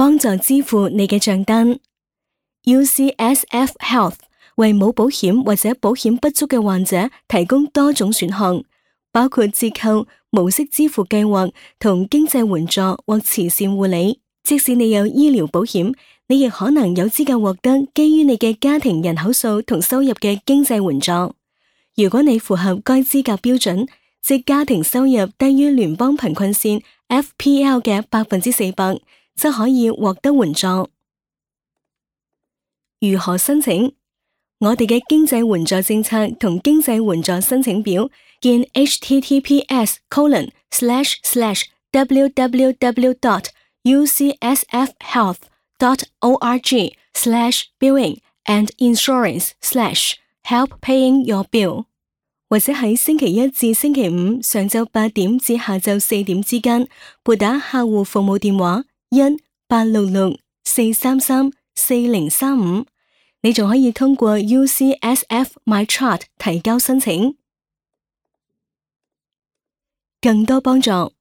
幫助支付你嘅賬單。UCSF Health 為冇保險或者保險不足嘅患者提供多種選項，包括折扣、無息支付計劃同經濟援助或慈善護理。即使你有醫療保險，你亦可能有資格獲得基於你嘅家庭人口數同收入嘅經濟援助。如果你符合該資格標準，即家庭收入低於聯邦貧困線 FPL 嘅400%，則可以獲得援助。如何申請？我哋嘅經濟援助政策同經濟援助申請表見 https://www.ucsfhealth.org/billing and insurance/help paying your bill， 或者喺星期一至星期五上晝8點至下晝4點之間撥打客戶服務電話1-866-433-4035，你仲可以通過 UCSF MyChart 提交申請。更多幫助，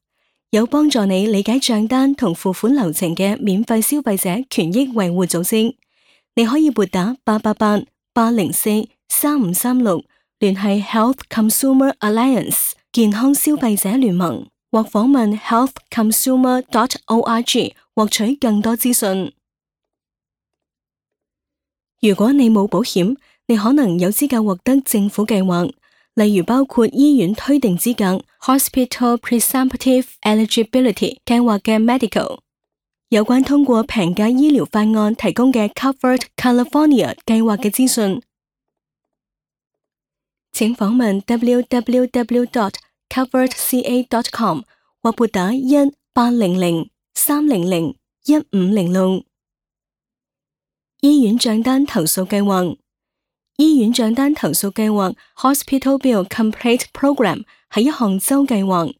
有幫助你理解賬單同付款流程嘅免費消費者權益維護組織，你可以撥打888-804-3536聯繫 Health Consumer Alliance 健康消費者聯盟，或訪問 healthconsumer.org 獲取更多資訊。如果你冇保險，你可能有資格獲得政府計劃，例如包括醫院推定資格 Hospital Presumptive Eligibility 計劃嘅 Medical。有關通過平價醫療法案提供嘅 Covered California 計劃嘅資訊，請訪問 www.coveredca.com 或撥打1-800-300-1506。醫院賬單投訴計劃。醫院賬單投訴計劃 Hospital Bill Complaint Program 係一項州計劃，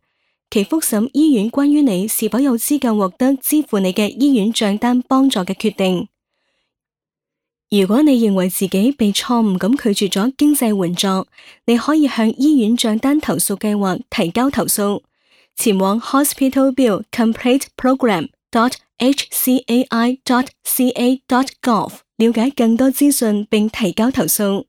其覆審醫院關於你是否有資格獲得支付你嘅醫院賬單幫助嘅決定。如果你認為自己被錯誤咁拒絕咗經濟援助，你可以向醫院賬單投訴計劃提交投訴，前往 Hospital Bill Complaint Program.hcai.ca.gov 了解更多資訊並提交投訴。